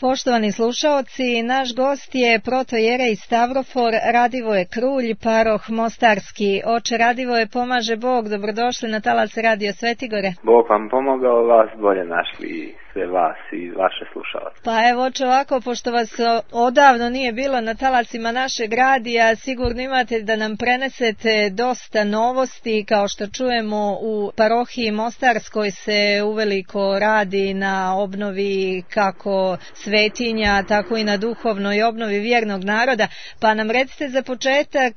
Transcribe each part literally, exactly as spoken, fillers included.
Poštovani slušaoci, naš gost je protojerej Stavrofor Radivoje Krulj, paroh Mostarski. Oče Radivoje, pomaže Bog, dobrodošli na talas Radio Svetigore. Bog vam pomogao, vas bolje našli sve vas i vaše slušalce. Pa evo oče, ovako, pošto vas odavno nije bilo na talasima našeg radija, sigurno imate da nam prenesete dosta novosti, kao što čujemo u parohiji Mostarskoj se uveliko radi na obnovi kako svetinja, tako i na duhovnoj obnovi vjernog naroda. Pa nam recite za početak,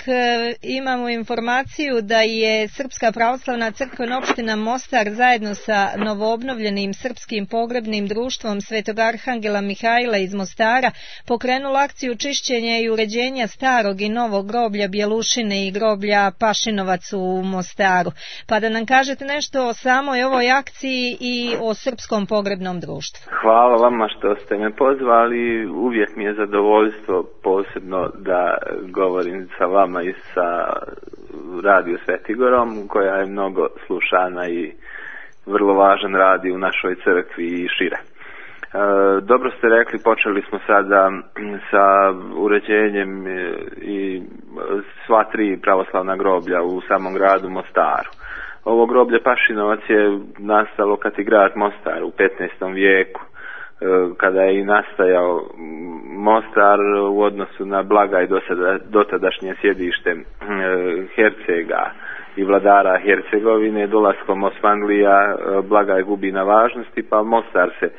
imamo informaciju da je Srpska pravoslavna crkvena opština Mostar zajedno sa novoobnovljenim Srpskim pogrebnim društvom Svetog Arhangela Mihajla iz Mostara pokrenula akciju čišćenja i uređenja starog i novog groblja Bjelušine i groblja Pašinovac u Mostaru. Pa da nam kažete nešto o samoj ovoj akciji i o Srpskom pogrebnom društvu. Hvala vama što ste me pozvali, uvijek mi je zadovoljstvo posebno da govorim sa vama i sa Radio Svetigorom, koja je mnogo slušana i vrlo važan radi u našoj crkvi i šire. E, dobro ste rekli, počeli smo sada sa uređenjem i sva tri pravoslavna groblja u samom gradu Mostaru. Ovo groblje Pašinovac je nastalo kad je grad Mostar u petnaestom vijeku, kada je i nastajao Mostar u odnosu na Blagaj dotadašnje sjedište Hercega i vladara Hercegovine. Dolaskom Osmanlija Blagaj gubi na važnosti, pa Mostar se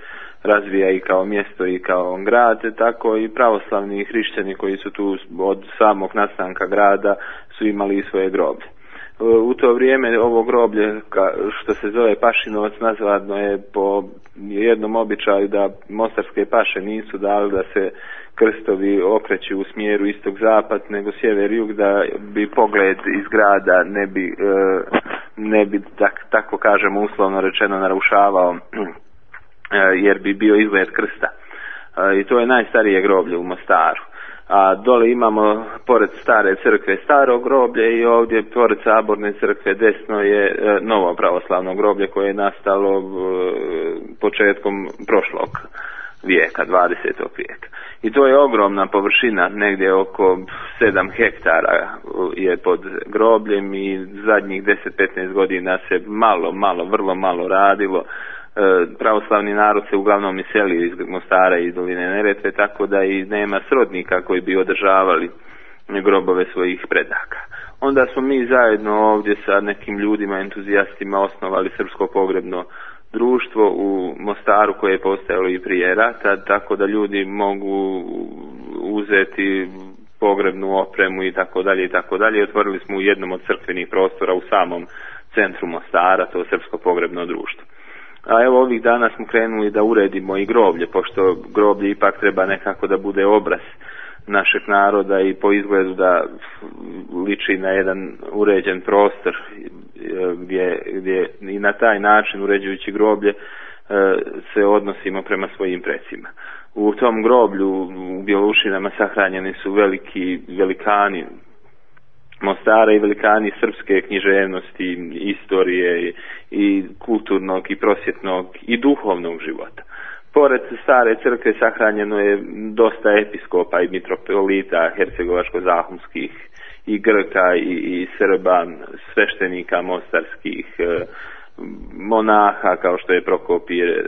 razvija i kao mjesto i kao grad, tako i pravoslavni hrišćani koji su tu od samog nastanka grada su imali i svoje groblje. U to vrijeme ovo groblje, što se zove Pašinovac, nazvano je po jednom običaju da mostarske paše nisu dali da se krstovi okreću u smjeru istog-zapad, nego sjever-jug, da bi pogled iz grada ne bi, ne bi tak, tako kažemo uslovno rečeno narušavao, jer bi bio izgled krsta. I to je najstarije groblje u Mostaru. A dole imamo, pored stare crkve, staro groblje i ovdje pored saborne crkve desno je novo pravoslavno groblje koje je nastalo početkom prošlog vijeka, dvadesetog vijeka. I to je ogromna površina, negdje oko sedam hektara je pod grobljem i zadnjih deset do petnaest godina se malo, malo, vrlo malo radilo. Pravoslavni narod se uglavnom iselio iz Mostara i iz doline Neretve, tako da i nema srodnika koji bi održavali grobove svojih predaka. Onda smo mi zajedno ovdje sa nekim ljudima, entuzijastima, osnovali Srpsko pogrebno društvo u Mostaru koje je postojalo i prije rata, tako da ljudi mogu uzeti pogrebnu opremu i tako dalje i tako dalje. Otvorili smo u jednom od crkvenih prostora u samom centru Mostara, to Srpsko pogrebno društvo. A evo ovih dana smo krenuli da uredimo i groblje, pošto groblje ipak treba nekako da bude obraz našeg naroda i po izgledu da liči na jedan uređen prostor gdje, gdje i na taj način uređujući groblje se odnosimo prema svojim precima. U tom groblju u Bjelušinama sahranjeni su veliki velikani Mostara i velikani srpske književnosti, istorije i kulturnog i prosvjetnog i duhovnog života. Pored stare crkve sahranjeno je dosta episkopa i mitropolita hercegovačko-zahumskih i Grka i, i Srba, sveštenika mostarskih, monaha kao što je Prokopije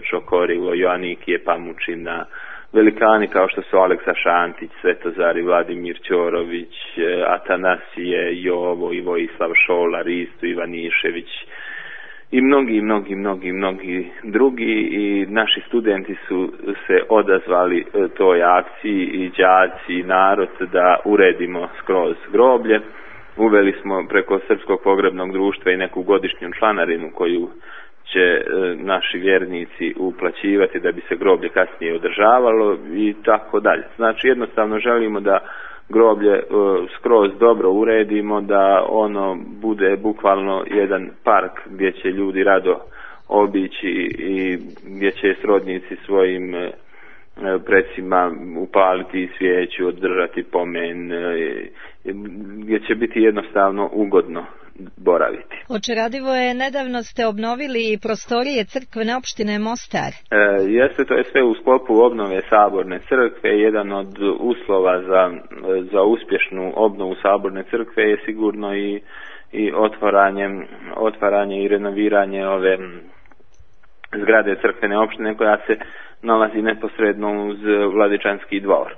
Čokorilo, Joanikije Pamučina, velikani kao što su Aleksa Šantić, Svetozar i Vladimir Ćorović, Atanasije, Jovo i Vojislav Šolar, Risto Ivanišević i mnogi, mnogi, mnogi, mnogi drugi. I naši studenti su se odazvali toj akciji i đaci i narod da uredimo skroz groblje. Uveli smo preko Srpskog pogrebnog društva i neku godišnju članarinu koju će naši vjernici uplaćivati da bi se groblje kasnije održavalo i tako dalje. Znači jednostavno želimo da groblje skroz dobro uredimo, da ono bude bukvalno jedan park gdje će ljudi rado obići i gdje će srodnici svojim precima upaliti svijeću, održati pomen, gdje će biti jednostavno ugodno boraviti. Oče Radivoje, nedavno ste obnovili prostorije crkvene opštine Mostar. E, jeste, to je sve u sklopu obnove Saborne crkve. Jedan od uslova za, za uspješnu obnovu Saborne crkve je sigurno i, i otvaranje, otvaranje i renoviranje ove zgrade crkvene opštine koja se nalazi neposredno uz Vladičanski dvor. E,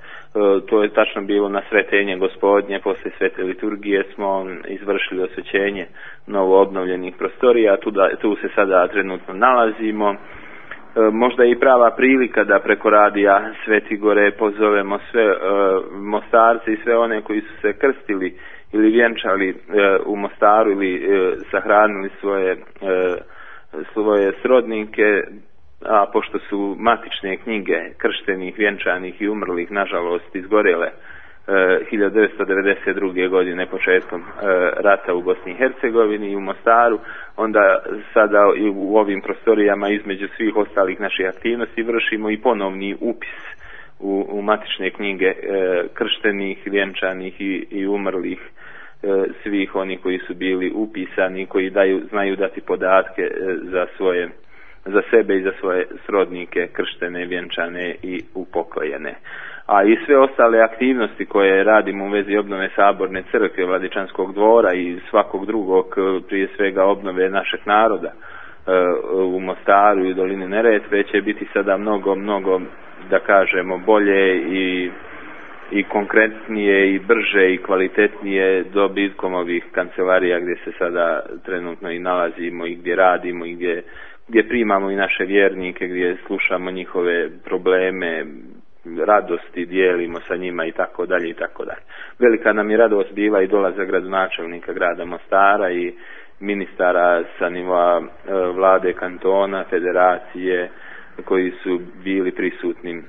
to je tačno bilo na Svetenje Gospodnje, poslije svete liturgije smo izvršili osvećenje novo obnovljenih prostorija, tu, da, tu se sada trenutno nalazimo. E, možda je i prava prilika da preko radija Svetigore pozovemo sve e, Mostarce i sve one koji su se krstili ili vjenčali e, u Mostaru ili e, sahranili svoje, e, svoje srodnike, a pošto su matične knjige krštenih, vjenčanih i umrlih nažalost izgorjele e, hiljadu devetsto devedeset druge. godine početkom e, rata u Bosni i Hercegovini i u Mostaru, onda sada i u ovim prostorijama između svih ostalih naših aktivnosti vršimo i ponovni upis u, u matične knjige e, krštenih, vjenčanih i, i umrlih e, svih oni koji su bili upisani, koji daju, znaju dati podatke e, za svoje za sebe i za svoje srodnike krštene, vjenčane i upokojene. A i sve ostale aktivnosti koje radimo u vezi obnove Saborne crkve, Vladičanskog dvora i svakog drugog, prije svega obnove našeg naroda u Mostaru i u dolini Neretve, će biti sada mnogo, mnogo, da kažemo, bolje i i konkretnije i brže i kvalitetnije dobitkom ovih kancelarija gdje se sada trenutno i nalazimo i gdje radimo i gdje gdje primamo i naše vjernike, gdje slušamo njihove probleme, radosti, dijelimo sa njima i tako dalje i tako dalje. Velika nam je radost bila i dolazak gradonačelnika grada Mostara i ministara sa nivoa e, vlade kantona, federacije, koji su bili prisutni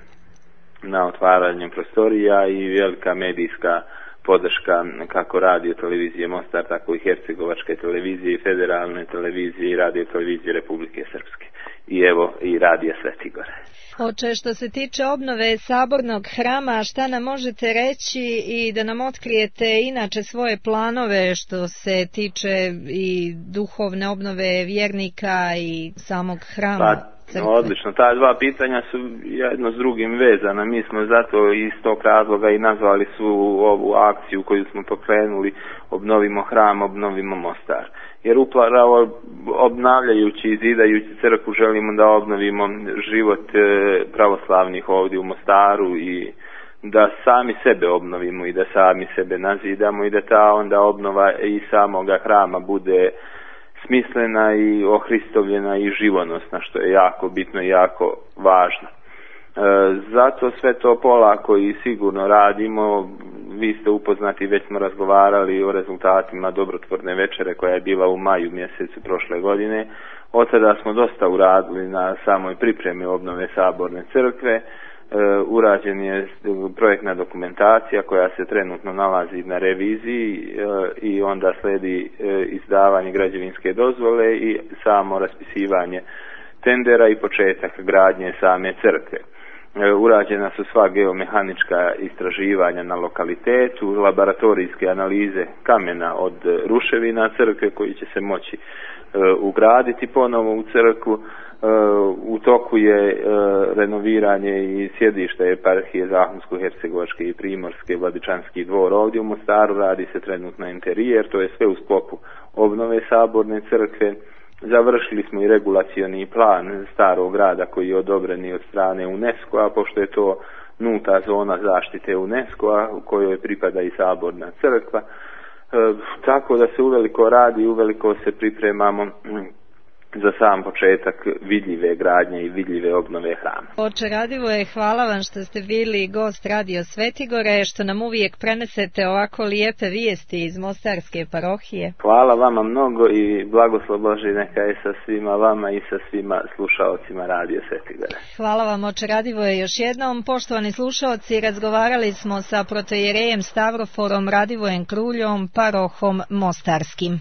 na otvaranju prostorija i velika medijska podrška kako radio televizije Mostar, tako i Hercegovačke televizije i federalne televizije i radio televizije Republike Srpske i evo i radija Svetigore. Oče, što se tiče obnove Sabornog hrama, šta nam možete reći i da nam otkrijete inače svoje planove što se tiče i duhovne obnove vjernika i samog hrama? Pa, no, odlično, ta dva pitanja su jedno s drugim vezana. Mi smo zato iz tog razloga i nazvali su ovu akciju koju smo pokrenuli Obnovimo hram, obnovimo Mostar. Jer upravo obnavljajući i zidajući crkvu želimo da obnovimo život pravoslavnih ovdje u Mostaru i da sami sebe obnovimo i da sami sebe nazidamo i da ta onda obnova i samoga hrama bude smislena i ohristovljena i živonosna, što je jako bitno i jako važno. E, zato sve to polako i sigurno radimo. Vi ste upoznati, već smo razgovarali o rezultatima dobrotvorne večere koja je bila u maju mjesecu prošle godine. Od tada smo dosta uradili na samoj pripremi obnove Saborne crkve. E, urađen je projektna dokumentacija koja se trenutno nalazi na reviziji e, i onda sledi e, izdavanje građevinske dozvole i samo raspisivanje tendera i početak gradnje same crkve. E, urađena su sva geomehanička istraživanja na lokalitetu, laboratorijske analize kamena od ruševina crkve koji će se moći e, ugraditi ponovo u crkvu. U toku je renoviranje i sjedište eparhije Zahumsko-hercegovačke i Primorske, Vladičanski dvor ovdje u Mostaru, radi se trenutno interijer, to je sve u sklopu obnove Saborne crkve. Završili smo i regulacioni plan starog grada koji je odobren od strane UNESCO-a, pošto je to nulta zona zaštite UNESCO-a u kojoj pripada i Saborna crkva. E, tako da se uveliko radi, uveliko se pripremamo za sam početak vidljive gradnje i vidljive obnove hrama. Oče Radivoje, hvala vam što ste bili gost Radio Svetigore, što nam uvijek prenesete ovako lijepe vijesti iz Mostarske parohije. Hvala vama mnogo i blagoslov Božji neka je sa svima vama i sa svima slušaocima Radio Svetigore. Hvala vam, oče Radivoje, još jednom. Poštovani slušaoci, razgovarali smo sa protojerejem Stavroforom Radivojem Kruljom, parohom Mostarskim.